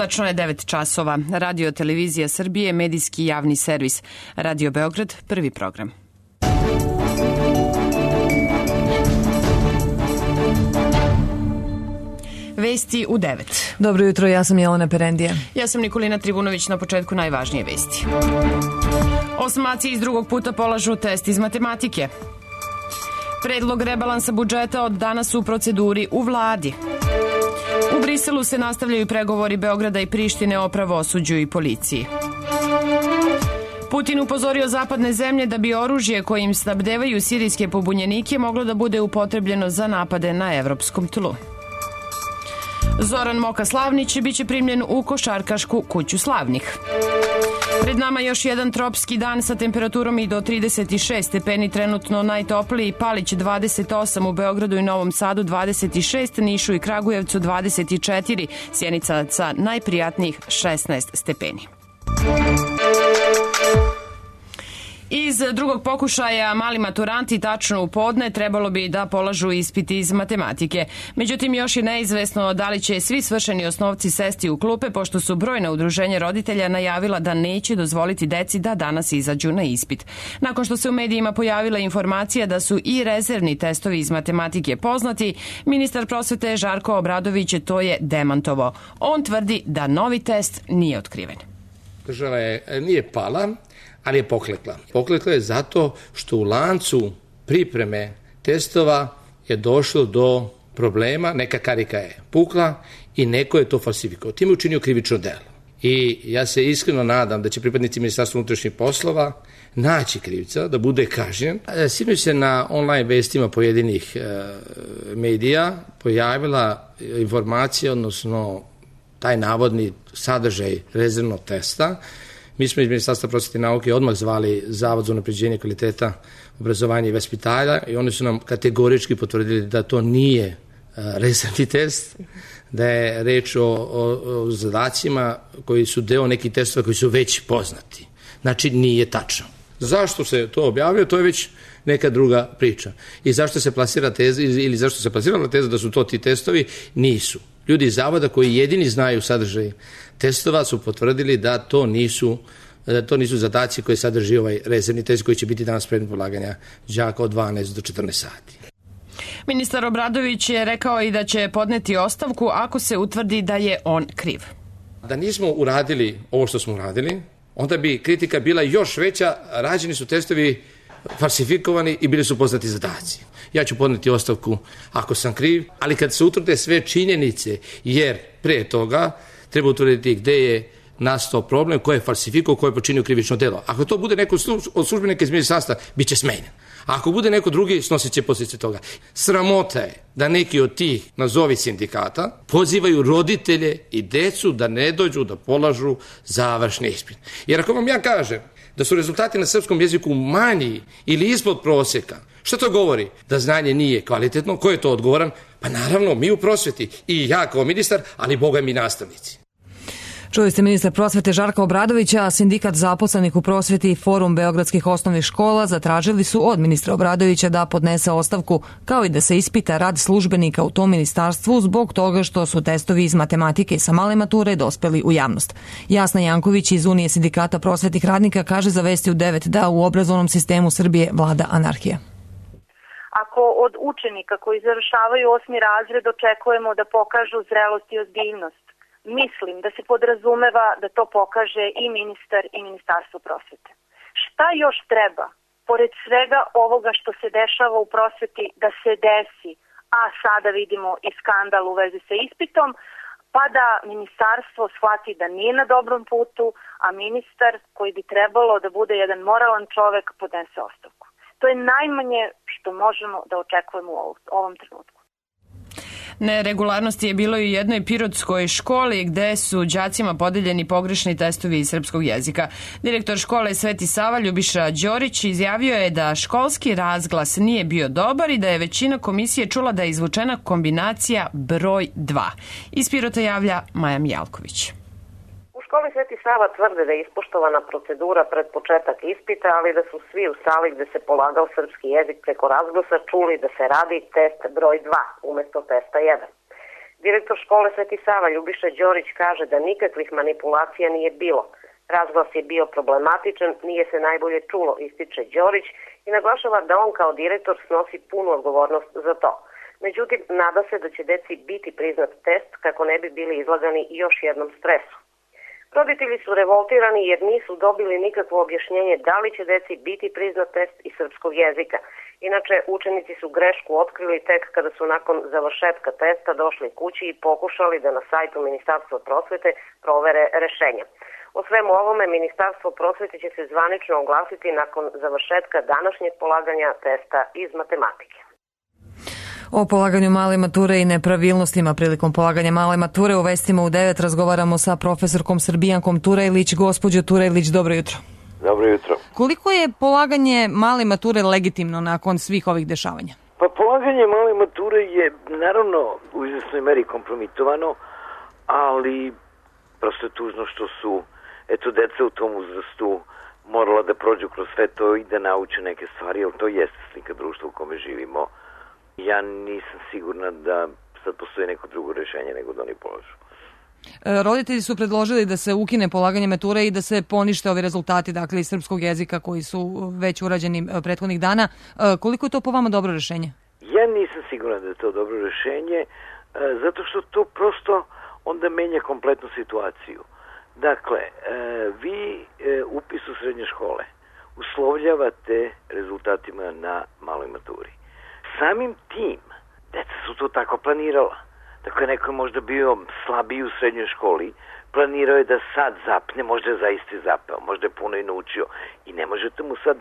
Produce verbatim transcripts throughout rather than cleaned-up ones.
Tačno je devet časova. Radio Televizija Srbije, medijski javni servis. Radio Beograd, prvi program. Vesti u devet. Dobro jutro, ja sam Jelena Perendija. Ja sam Nikolina Trivunović, na početku najvažnije vesti. Osmaci iz drugog puta polažu test iz matematike. Predlog rebalansa budžeta od danas u proceduri u vladi. U Briselu se nastavljaju pregovori Beograda i Prištine o pravosuđu i policiji. Putin upozorio zapadne zemlje da bi oružje kojim snabdevaju sirijske pobunjenike moglo da bude upotrebljeno za napade na evropskom tlu. Zoran Moka Slavnić biće primljen u košarkašku kuću slavnih. Pred nama još jedan tropski dan sa temperaturom i do trideset šest stepeni, trenutno najtopliji Palić dvadeset osam, u Beogradu i Novom Sadu dvadeset šest, Nišu i Kragujevcu dvadeset četiri, Sjenica sa najprijatnijih šesnaest stepeni. Iz drugog pokušaja mali maturanti tačno u podne trebalo bi da polažu ispit iz matematike. Međutim, još je neizvesno da li će svi svršeni osnovci sesti u klupe, pošto su brojna udruženja roditelja najavila da neće dozvoliti deci da danas izađu na ispit. Nakon što se u medijima pojavila informacija da su i rezervni testovi iz matematike poznati, ministar prosvete Žarko Obradović to je demantovao. On tvrdi da novi test nije otkriven. Država je, nije pala, ali je poklekla. Poklekla je zato što u lancu pripreme testova je došlo do problema, neka karika je pukla i neko je to falsifikovao. Time je učinio krivično delo. I ja se iskreno nadam da će pripadnici Ministarstva unutrašnjih poslova naći krivca, da bude kažnjen. Sinoć se na online vestima pojedinih e, medija pojavila informacija, odnosno taj navodni sadržaj rezervnog testa. Mi smo iz Ministarstva prosvete i nauke odmah zvali Zavod za unapređenje kvaliteta obrazovanja i vaspitanja i oni su nam kategorički potvrdili da to nije uh, rezervni test, da je reč o, o, o zadacima koji su deo nekih testova koji su već poznati. Znači, nije tačno. Zašto se to objavio, to je već neka druga priča. I zašto se plasira teza, ili zašto se plasirala teza da su to ti testovi, nisu. Ljudi iz Zavoda koji jedini znaju sadržaj testova su potvrdili da to nisu, da to nisu zadaci koji sadrži ovaj rezervni test koji će biti danas predmet polaganja đaka od dvanaest do četrnaest sati. Ministar Obradović je rekao i da će podneti ostavku ako se utvrdi da je on kriv. Da nismo uradili ovo što smo uradili, onda bi kritika bila još veća. Rađeni su testovi falsifikovani i bili su poznati zadaci. Ja ću podneti ostavku ako sam kriv, ali kad se utvrde sve činjenice, jer pre toga treba utvrditi gde je nastao problem, ko je falsifikao, ko je počinio krivično delo. Ako to bude neko od službenika iz ministarstva, bit će smenjen. A ako bude neko drugi, snosit će posljedice toga. Sramota je da neki od tih, nazovi sindikata, pozivaju roditelje i decu da ne dođu da polažu završni ispit. Jer ako vam ja kažem da su rezultati na srpskom jeziku manji ili ispod prosjeka, što to govori? Da znanje nije kvalitetno. Ko je to odgovoran? Pa naravno, mi u prosveti. I ja kao ministar, ali boga mi nastavnici. Čuli ste ministar prosvete Žarka Obradovića, a sindikat zaposlenih u prosveti i Forum beogradskih osnovnih škola zatražili su od ministra Obradovića da podnese ostavku, kao i da se ispita rad službenika u tom ministarstvu zbog toga što su testovi iz matematike sa male mature dospeli u javnost. Jasna Janković iz Unije sindikata prosvetnih radnika kaže za Vesti u devet da u obrazovnom sistemu Srbije vlada anarhija. Ako od učenika koji završavaju osmi razred očekujemo da pokažu zrelost i ozbiljnost, mislim da se podrazumeva da to pokaže i ministar i Ministarstvo prosvete. Šta još treba, pored svega ovoga što se dešava u prosveti, da se desi, a sada vidimo i skandal u vezi sa ispitom, pa da ministarstvo shvati da nije na dobrom putu, a ministar, koji bi trebalo da bude jedan moralan čovek, podnese ostavku. To je najmanje što možemo da očekujemo u ovom trenutku. Neregularnosti je bilo i u jednoj pirotskoj školi gde su đacima podeljeni pogrešni testovi iz srpskog jezika. Direktor škole Sveti Sava Ljubiša Đorić izjavio je da školski razglas nije bio dobar i da je većina komisije čula da je izvučena kombinacija broj dva. Iz Pirota javlja Maja Mijalković. U školi Sveti Sava tvrde da je ispoštovana procedura pred početak ispita, ali da su svi u sali gde se polagao srpski jezik preko razglasa čuli da se radi test broj dva umesto testa jedan. Direktor škole Sveti Sava Ljubiša Đorić kaže da nikakvih manipulacija nije bilo. Razglas je bio problematičan, nije se najbolje čulo, ističe Đorić i naglašava da on kao direktor snosi punu odgovornost za to. Međutim, nada se da će deci biti priznat test kako ne bi bili izlagani još jednom stresu. Roditelji su revoltirani jer nisu dobili nikakvo objašnjenje da li će deci biti priznat test iz srpskog jezika. Inače, učenici su grešku otkrili tek kada su nakon završetka testa došli kući i pokušali da na sajtu Ministarstva prosvete provere rešenja. O svemu ovome Ministarstvo prosvete će se zvanično oglasiti nakon završetka današnjeg polaganja testa iz matematike. O polaganju male mature i nepravilnostima prilikom polaganja male mature u Vestima u devet razgovaramo sa profesorkom Srbijankom Turajlić. Gospođo Turajlić, dobro jutro. Dobro jutro. Koliko je polaganje male mature legitimno nakon svih ovih dešavanja? Pa polaganje male mature je naravno u izvesnoj meri kompromitovano, ali prosto je tužno što su eto deca u tom uzrastu morala da prođu kroz sve to i da nauče neke stvari, jer to jeste slika društva u kome živimo. Ja nisam sigurna da sad postoji neko drugo rešenje nego da oni polažu. E, roditelji su predložili da se ukine polaganje mature i da se ponište ovi rezultati, dakle iz srpskog jezika koji su već urađeni prethodnih dana. E, koliko je to po vama dobro rešenje? Ja nisam sigurna da je to dobro rešenje, e, zato što to prosto onda menja kompletnu situaciju. Dakle, e, vi e, upis u srednje škole uslovljavate rezultatima na maloj maturi. Samim tim, deca su to tako planirala. Dakle, neko je možda bio slabiji u srednjoj školi, planirao je da sad zapne, možda je zaista zapeo, možda je puno i naučio i ne možete mu sad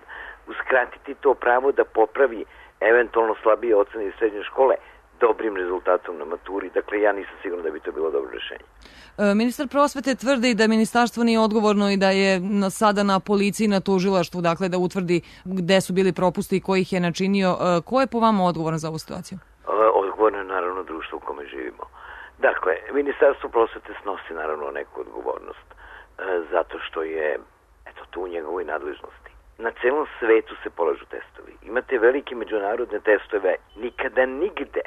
uskratiti to pravo da popravi eventualno slabije ocene iz srednje škole dobrim rezultatom na maturi. Dakle, ja nisam sigurna da bi to bilo dobro rešenje. E, ministar prosvete tvrdi da ministarstvo nije odgovorno i da je na, sada na policiji i na tužilaštvu, dakle da utvrdi gde su bili propusti i ko ih je načinio. E, ko je po vama odgovoran za ovu situaciju? E, odgovorno je naravno društvo u kome živimo. Dakle, ministarstvo prosvete snosi naravno neku odgovornost e, zato što je eto tu u njegovoj nadležnosti. Na celom svetu se polažu testovi. Imate velike međunarodne testove, nikada nigde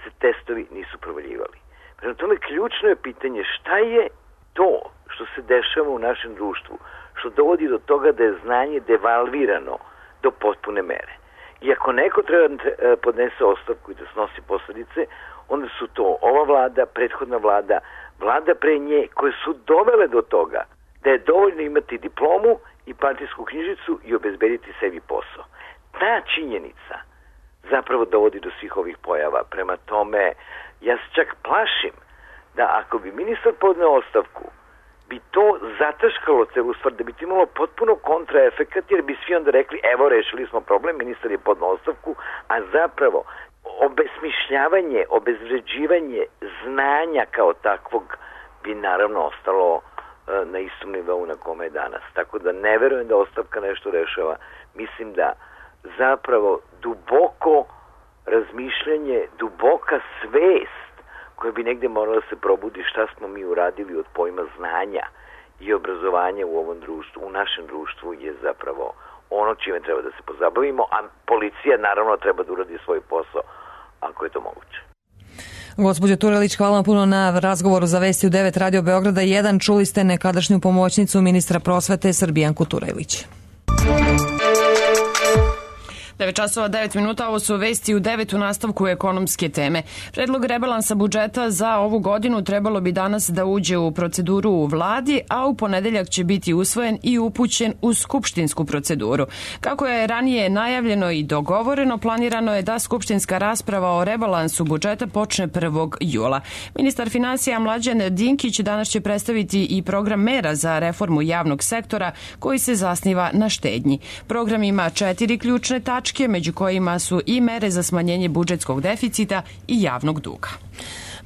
se testovi nisu provaljivali. Prema tome, ključno je pitanje šta je to što se dešava u našem društvu, što dovodi do toga da je znanje devalvirano do potpune mere. I ako neko treba da podnese ostavku i da snosi posledice, onda su to ova vlada, prethodna vlada, vlada pre nje, koje su dovele do toga da je dovoljno imati diplomu i partijsku knjižicu i obezbediti sebi posao. Ta činjenica zapravo dovodi do svih ovih pojava. Prema tome, ja se čak plašim da ako bi ministar podneo ostavku, bi to zataškalo celu stvar, da bi to imalo potpuno kontraefekat, jer bi svi onda rekli, evo, rešili smo problem, ministar je podneo ostavku, a zapravo obesmišljavanje, obezvređivanje znanja kao takvog bi naravno ostalo na istom nivou na kome je danas. Tako da ne verujem da ostavka nešto rešava. Mislim da zapravo duboko razmišljanje, duboka svest koja bi negde morala da se probudi šta smo mi uradili od pojma znanja i obrazovanja u ovom društvu, u našem društvu je zapravo ono čime treba da se pozabavimo, a policija naravno treba da uradi svoj posao ako je to moguće. Gospođo Turajlić, hvala vam puno na razgovoru za Vesti u devet Radio Beograda jedan. Čuli ste nekadašnju pomoćnicu ministra prosvete Srbijanku Turajlić. devet časova devet minuta, ovo su Vesti u devet u nastavku ekonomske teme. Predlog rebalansa budžeta za ovu godinu trebalo bi danas da uđe u proceduru u vladi, a u ponedeljak će biti usvojen i upućen u skupštinsku proceduru. Kako je ranije najavljeno i dogovoreno, planirano je da skupštinska rasprava o rebalansu budžeta počne prvog jula. Ministar finansija Mlađan Dinkić danas će predstaviti i program mera za reformu javnog sektora koji se zasniva na štednji. Program ima četiri ključne tačke, među kojima su i mere za smanjenje budžetskog deficita i javnog duga.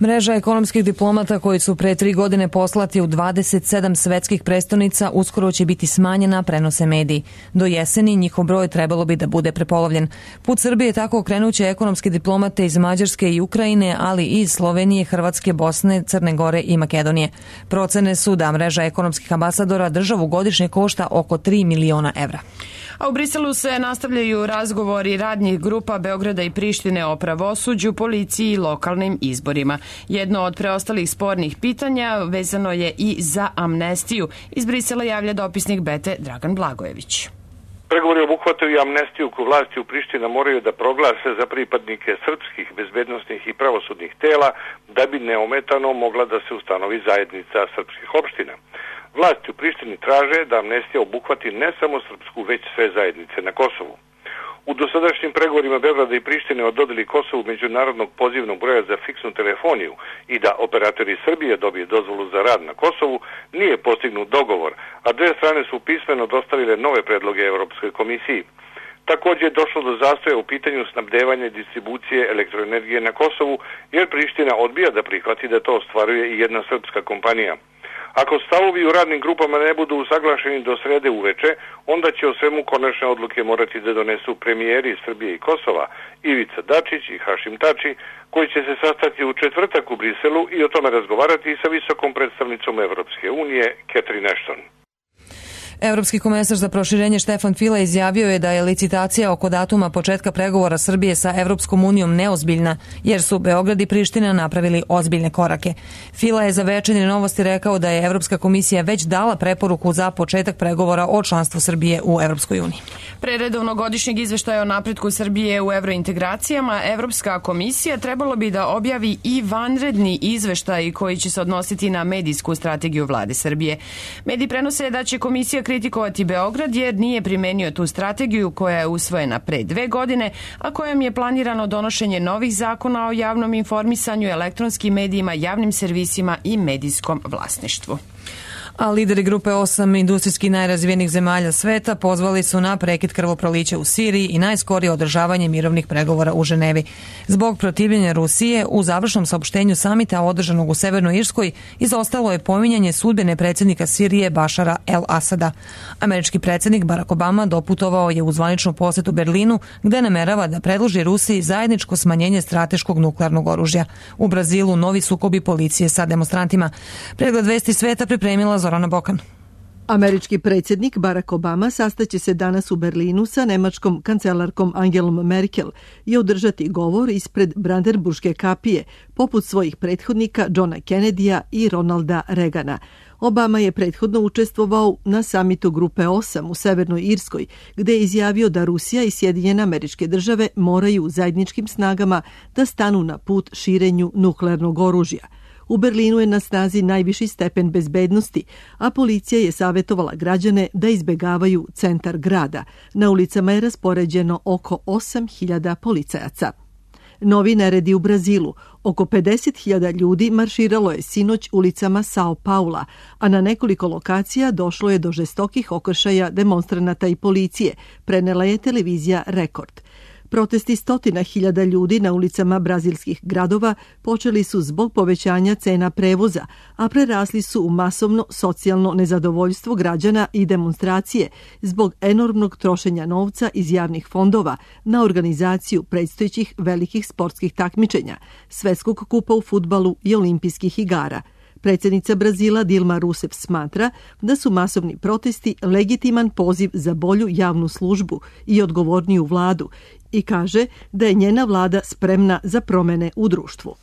Mreža ekonomskih diplomata koji su pre tri godine poslati u dvadeset sedam svetskih prestonica uskoro će biti smanjena, prenose mediji. Do jeseni njihov broj trebalo bi da bude prepolovljen. Put Srbije tako okrenuće ekonomske diplomate iz Mađarske i Ukrajine, ali i iz Slovenije, Hrvatske, Bosne, Crne Gore i Makedonije. Procene su da mreža ekonomskih ambasadora državu godišnje košta oko tri miliona evra. A u Briselu se nastavljaju razgovori radnih grupa Beograda i Prištine o pravosuđu, policiji i lokalnim izborima. Jedno od preostalih spornih pitanja vezano je i za amnestiju. Iz Brisela javlja dopisnik Bete Dragan Blagojević. Pregovori obuhvataju i amnestiju koju vlasti u Priština moraju da proglase za pripadnike srpskih bezbednosnih i pravosudnih tela da bi neometano mogla da se ustanovi zajednica srpskih opština. Vlasti u Prištini traže da amnestija obuhvati ne samo srpsku, već sve zajednice na Kosovu. U dosadašnjim pregovorima Beograda i Prištine o dodeli Kosovu međunarodnog pozivnog broja za fiksnu telefoniju i da operatori Srbije dobije dozvolu za rad na Kosovu nije postignut dogovor, a dve strane su pismeno dostavile nove predloge Evropskoj komisiji. Također je došlo do zastoja u pitanju snabdevanja i distribucije elektroenergije na Kosovu, jer Priština odbija da prihvati da to ostvaruje i jedna srpska kompanija. Ako stavovi u radnim grupama ne budu usaglašeni do srede uveče, onda će o svemu konačne odluke morati da donesu premijeri Srbije i Kosova, Ivica Dačić i Hašim Tači, koji će se sastati u četvrtak u Briselu i o tome razgovarati sa visokom predstavnicom Evropske unije, Catherine Ashton. Evropski komesar za proširenje Štefan File izjavio je da je licitacija oko datuma početka pregovora Srbije sa Evropskom unijom neozbiljna, jer su Beograd i Priština napravili ozbiljne korake. File je za Večernje novosti rekao da je Evropska komisija već dala preporuku za početak pregovora o članstvu Srbije u Evropskoj uniji. Pre redovnog godišnjeg izveštaja o napretku Srbije u evrointegracijama, Evropska komisija trebalo bi da objavi i vanredni izveštaj koji će se odnositi na medijsku strategiju vlade Srbije. Mediji prenose da će komisija kritikovati Beograd jer nije primenio tu strategiju koja je usvojena pre dve godine, a kojom je planirano donošenje novih zakona o javnom informisanju, elektronskim medijima, javnim servisima i medijskom vlasništvu. A lideri grupe osam industrijski najrazvijenijih zemalja sveta pozvali su na prekid krvoprolića u Siriji i najskorije održavanje mirovnih pregovora u Ženevi. Zbog protivljenja Rusije, u završnom saopštenju samita održanog u Severnoj Irskoj izostalo je pominjanje sudbine predsjednika Sirije Bašara el-Asada. Američki predsjednik Barack Obama doputovao je u zvaničnu posetu Berlinu, gde namerava da predloži Rusiji zajedničko smanjenje strateškog nuklearnog oružja. U Brazilu novi sukobi policije sa demonstrantima. Pregled vesti sveta pripremila Zorana Bokan. Američki predsjednik Barack Obama sastaće se danas u Berlinu sa nemačkom kancelarkom Angelom Merkel i održati govor ispred Brandenburške kapije, poput svojih prethodnika Johna Kennedya i Ronalda Reagana. Obama je prethodno učestvovao na samitu grupe osam u Severnoj Irskoj, gde je izjavio da Rusija i Sjedinjene Američke Države moraju zajedničkim snagama da stanu na put širenju nuklearnog oružja. U Berlinu je na snazi najviši stepen bezbednosti, a policija je savjetovala građane da izbegavaju centar grada. Na ulicama je raspoređeno oko osam hiljada policajaca. Novi neredi u Brazilu. Oko pedeset hiljada ljudi marširalo je sinoć ulicama Sao Paula, a na nekoliko lokacija došlo je do žestokih okršaja demonstranata i policije, prenela je televizija Rekord. Protesti stotina hiljada ljudi na ulicama brazilskih gradova počeli su zbog povećanja cena prevoza, a prerasli su u masovno socijalno nezadovoljstvo građana i demonstracije zbog enormnog trošenja novca iz javnih fondova na organizaciju predstojećih velikih sportskih takmičenja, Svetskog kupa u fudbalu i olimpijskih igara. Predsjednica Brazila Dilma Rousseff smatra da su masovni protesti legitiman poziv za bolju javnu službu i odgovorniju vladu i kaže da je njena vlada spremna za promjene u društvu.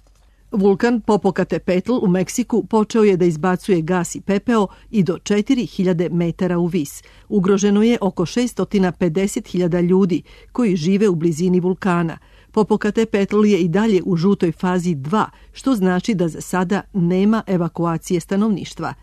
Vulkan Popocatépetl u Meksiku počeo je da izbacuje gas i pepeo i do četiri hiljade metara u vis. Ugroženo je oko šesto pedeset hiljada ljudi koji žive u blizini vulkana. Popocatépetl je i dalje u žutoj fazi dva, što znači da za sada nema evakuacije stanovništva.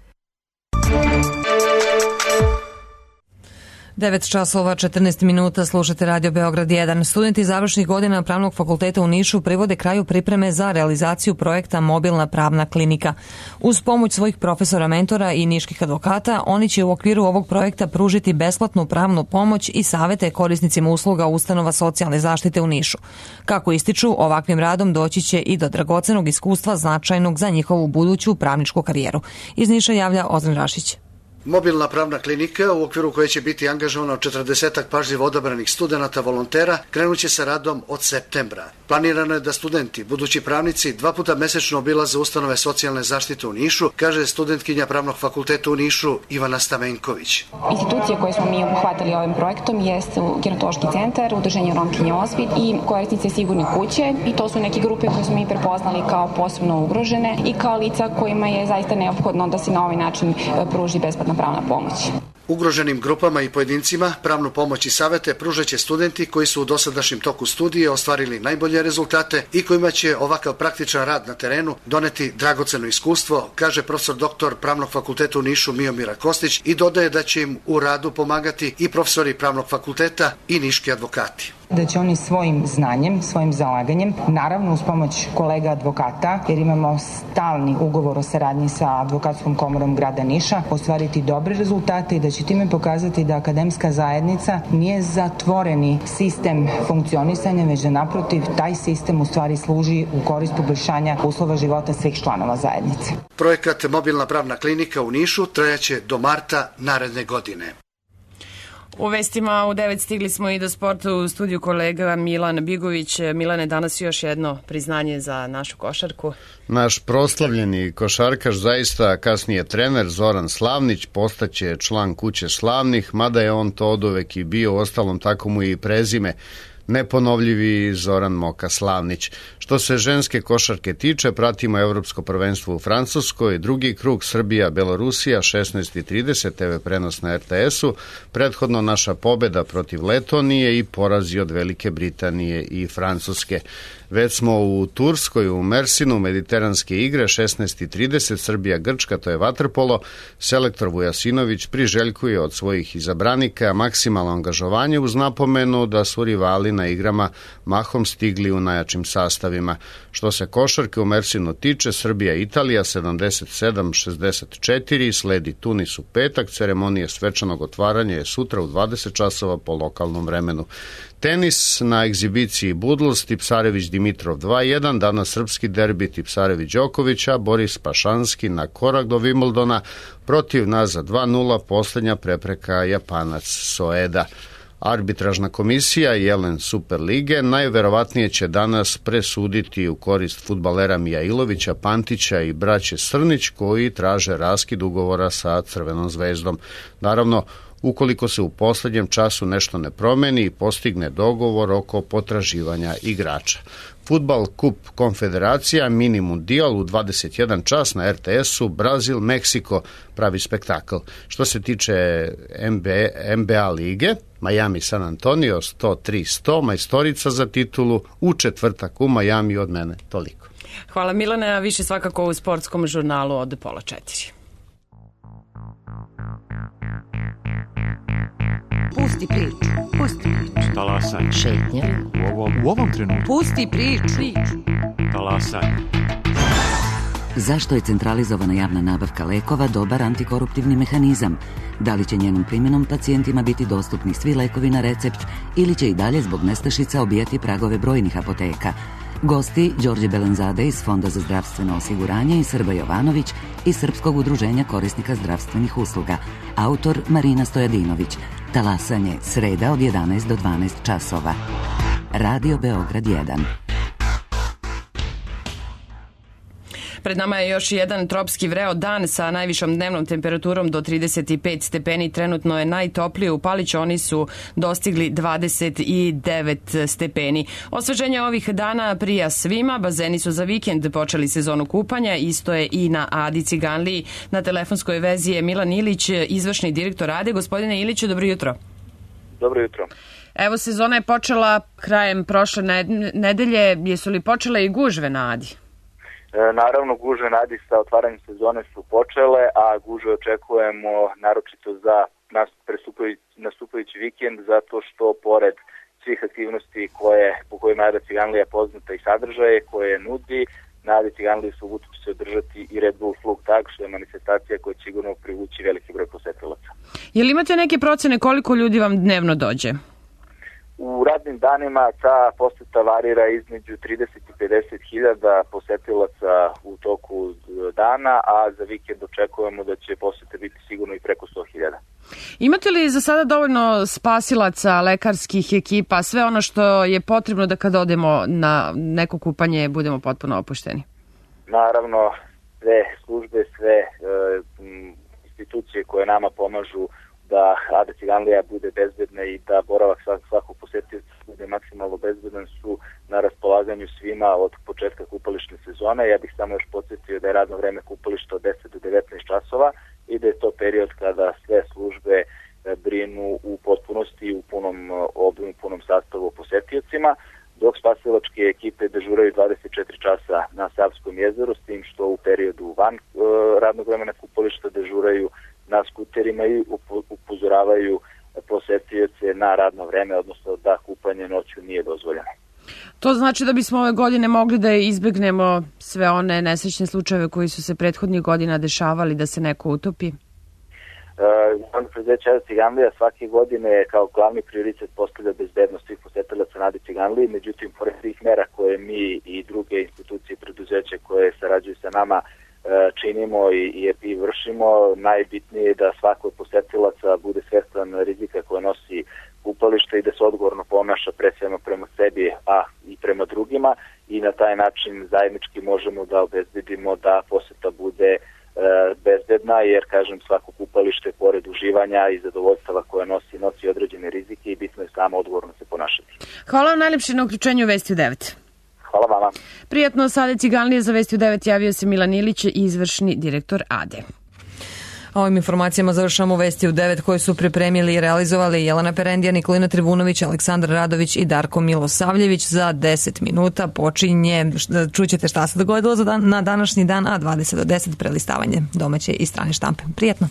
devet časova četrnaest minuta, slušate Radio Beograd jedan. Studenti završnih godina Pravnog fakulteta u Nišu privode kraju pripreme za realizaciju projekta Mobilna pravna klinika. Uz pomoć svojih profesora mentora i niških advokata, oni će u okviru ovog projekta pružiti besplatnu pravnu pomoć i savete korisnicima usluga ustanova socijalne zaštite u Nišu. Kako ističu, ovakvim radom doći će i do dragocenog iskustva značajnog za njihovu buduću pravničku karijeru. Iz Niša javlja Ozren Rašić. Mobilna pravna klinika, u okviru koje će biti angažovano četrdesetak pažljivo odabranih studenata volontera, krenuće sa radom od septembra. Planirano je da studenti, budući pravnici, dva puta mesečno obilaze ustanove socijalne zaštite u Nišu, kaže studentkinja Pravnog fakulteta u Nišu Ivana Stamenković. Institucije koje smo mi obuhvatili ovim projektom jeste Gerontološki centar, Udruženje Romkinje Osvit i korisnice Sigurne kuće, i to su neke grupe koje smo mi prepoznali kao posebno ugrožene i kao lica kojima je zaista neophodno da se na ovaj način pruži besplatna pravna pomoć. Ugroženim grupama i pojedincima pravnu pomoć i savete pružaće studenti koji su u dosadašnjem toku studije ostvarili najbolje rezultate i kojima će ovakav praktičan rad na terenu doneti dragoceno iskustvo, kaže profesor doktor Pravnog fakulteta u Nišu Miomira Kostić, i dodaje da će im u radu pomagati i profesori Pravnog fakulteta i niški advokati. Da će oni svojim znanjem, svojim zalaganjem, naravno uz pomoć kolega advokata, jer imamo stalni ugovor o saradnji sa Advokatskom komorom grada Niša, ostvariti dobre rezultate i da će time pokazati da akademska zajednica nije zatvoreni sistem funkcionisanja, već da naprotiv taj sistem u stvari služi u korist poboljšanja uslova života svih članova zajednice. Projekat Mobilna pravna klinika u Nišu trajaće do marta naredne godine. U vestima u devet stigli smo i do sporta, u studiju kolega Milan Bigović. Milane, danas još jedno priznanje za našu košarku. Naš proslavljeni košarkaš, zaista kasnije trener Zoran Slavnić, postaće član Kuće slavnih, mada je on to oduvek i bio, ostalom tako mu i prezime. Neponovljivi Zoran Moka Slavnić. Što se ženske košarke tiče, pratimo Evropsko prvenstvo u Francuskoj, drugi krug Srbija-Belorusija, šesnaest i trideset, te ve prenos na er te esu, prethodno naša pobeda protiv Letonije i porazi od Velike Britanije i Francuske. Već smo u Turskoj, u Mersinu, mediteranske igre, šesnaest i trideset, Srbija-Grčka, to je vaterpolo. Selektor Vujasinović priželjkuje od svojih izabranika maksimalno angažovanje uz napomenu da su rivali na igrama mahom stigli u najjačim sastavima. Što se košarke u Mersinu tiče, Srbija-Italija sedamdeset sedam šezdeset četiri, sledi Tunis u petak, ceremonije svečanog otvaranja je sutra u dvadeset časova po lokalnom vremenu. Tenis na egzibiciji Budls, Tipsarević Dimitrov dva jedan, danas srpski derbi Tipsarević Đokovića, Boris Pašanski na korak do Wimbledona, protiv nas za dva nula, posljednja prepreka Japanac Soeda. Arbitražna komisija Jelen Superlige najverovatnije će danas presuditi u korist fudbalera Mijailovića, Pantića i braće Srnić, koji traže raskid ugovora sa Crvenom zvezdom. Naravno, ukoliko se u posljednjem času nešto ne promeni i postigne dogovor oko potraživanja igrača. Fudbal Kup Konfederacija, mini mundijal u dvadeset jedan čas na er te esu, Brazil, Meksiko, pravi spektakl. Što se tiče en be a lige, Miami San Antonio sto tri sto, majstorica za titulu u četvrtak u Miami. Od mene toliko. Hvala Milane, a više svakako u sportskom žurnalu od pola četiri. Pusti priču, pusti priču. Talasaj. Šetnja. U ovom, u ovom trenutku. Pusti priču. Talasaj. Zašto je centralizovana javna nabavka lekova dobar antikoruptivni mehanizam? Da li će njenom primjenom pacijentima biti dostupni svi lekovi na recept ili će i dalje zbog nestašica obijati pragove brojnih apoteka? Gosti Đorđe Belenzade iz Fonda za zdravstveno osiguranje i Srba Jovanović iz Srpskog udruženja korisnika zdravstvenih usluga. Autor Marina Stojadinović. Talasanje, sreda od jedanaest do dvanaest časova. Radio Beograd jedan. Pred nama je još jedan tropski vreo dan sa najvišom dnevnom temperaturom do trideset pet stepeni. Trenutno je najtoplije u Paliću, oni su dostigli dvadeset devet stepeni. Osveženje ovih dana prija svima, bazeni su za vikend počeli sezonu kupanja, isto je i na Adi Ciganliji. Na telefonskoj vezi je Milan Ilić, izvršni direktor Ade. Gospodine Iliću, dobro jutro. Dobro jutro. Evo, sezona je počela krajem prošle nedelje. Jesu li počele i gužve na Adi? Naravno, gužve na Adi sa otvaranjem sezone su počele, a gužve očekujemo naročito za nastupajući vikend, zato što pored svih aktivnosti koje, po kojima Ada Ciganlija je poznata i sadržaje koje nudi, na Adi Ciganliji subotu će se održati i Red Bull Flug Tag, što je manifestacija koja će sigurno privući veliki broj posetilaca. Jel imate neke procene koliko ljudi vam dnevno dođe? U radnim danima ta poseta varira između trideset i pedeset hiljada posetilaca u toku dana, a za vikend očekujemo da će posete biti sigurno i preko sto Imate li za sada dovoljno spasilaca, lekarskih ekipa, sve ono što je potrebno da kada odemo na neko kupanje budemo potpuno opušteni? Naravno, sve službe, sve e, institucije koje nama pomažu da Ada Ciganlija bude bezbedna i da boravak svakog posetioca bude maksimalno bezbedan su na raspolaganju svima od početka kupališne sezone. Ja bih samo još podsjetio da je radno vreme kupališta od deset do devetnaest časova i da je to period kada sve službe brinu u potpunosti, u punom obimu, punom sastavu o posetiocima, dok spasilačke ekipe dežuraju dvadeset četiri časa na Savskom jezeru, s tim što u periodu van e, radnog vremena kupališta dežuraju na skuterima i upozoravaju posetioce na radno vreme, odnosno da kupanje noću nije dozvoljeno. To znači da bismo ove godine mogli da izbegnemo sve one nesrećne slučajeve koji su se prethodnih godina dešavali, da se neko utopi? Javno preduzeće Ada Ciganlija svake godine kao glavni prioritet postavlja bezbednost svih posetilaca na Adi Ciganliji, međutim, pored svih mera koje mi i druge institucije i preduzeće koje sarađuju sa nama činimo i i vršimo, najbitnije je da svako od posetilaca bude svestan rizika koje nosi kupalište i da se odgovorno ponaša pre svema prema sebi, a i prema drugima, i na taj način zajednički možemo da obezbedimo da poseta bude bezbedna, jer, kažem, svako kupalište pored uživanja i zadovoljstava koje nosi, nosi određene rizike i bitno je samo odgovorno se ponašati. Hvala vam najlepše na uključenju u Vesti u devet. Hvala vama. Prijatno, sa Ade Ciganlije za Vesti u devet javio se Milan Ilić, izvršni direktor Ade. Ovim informacijama završamo Vesti u devet koje su pripremili i realizovali Jelena Perendija, Nikolina Trivunović, Aleksandar Radović i Darko Milosavljević. Za deset minuta počinje, čućete šta se dogodilo na današnji dan, a dvadeset do deset prelistavanje domaće i strane štampe. Prijetno.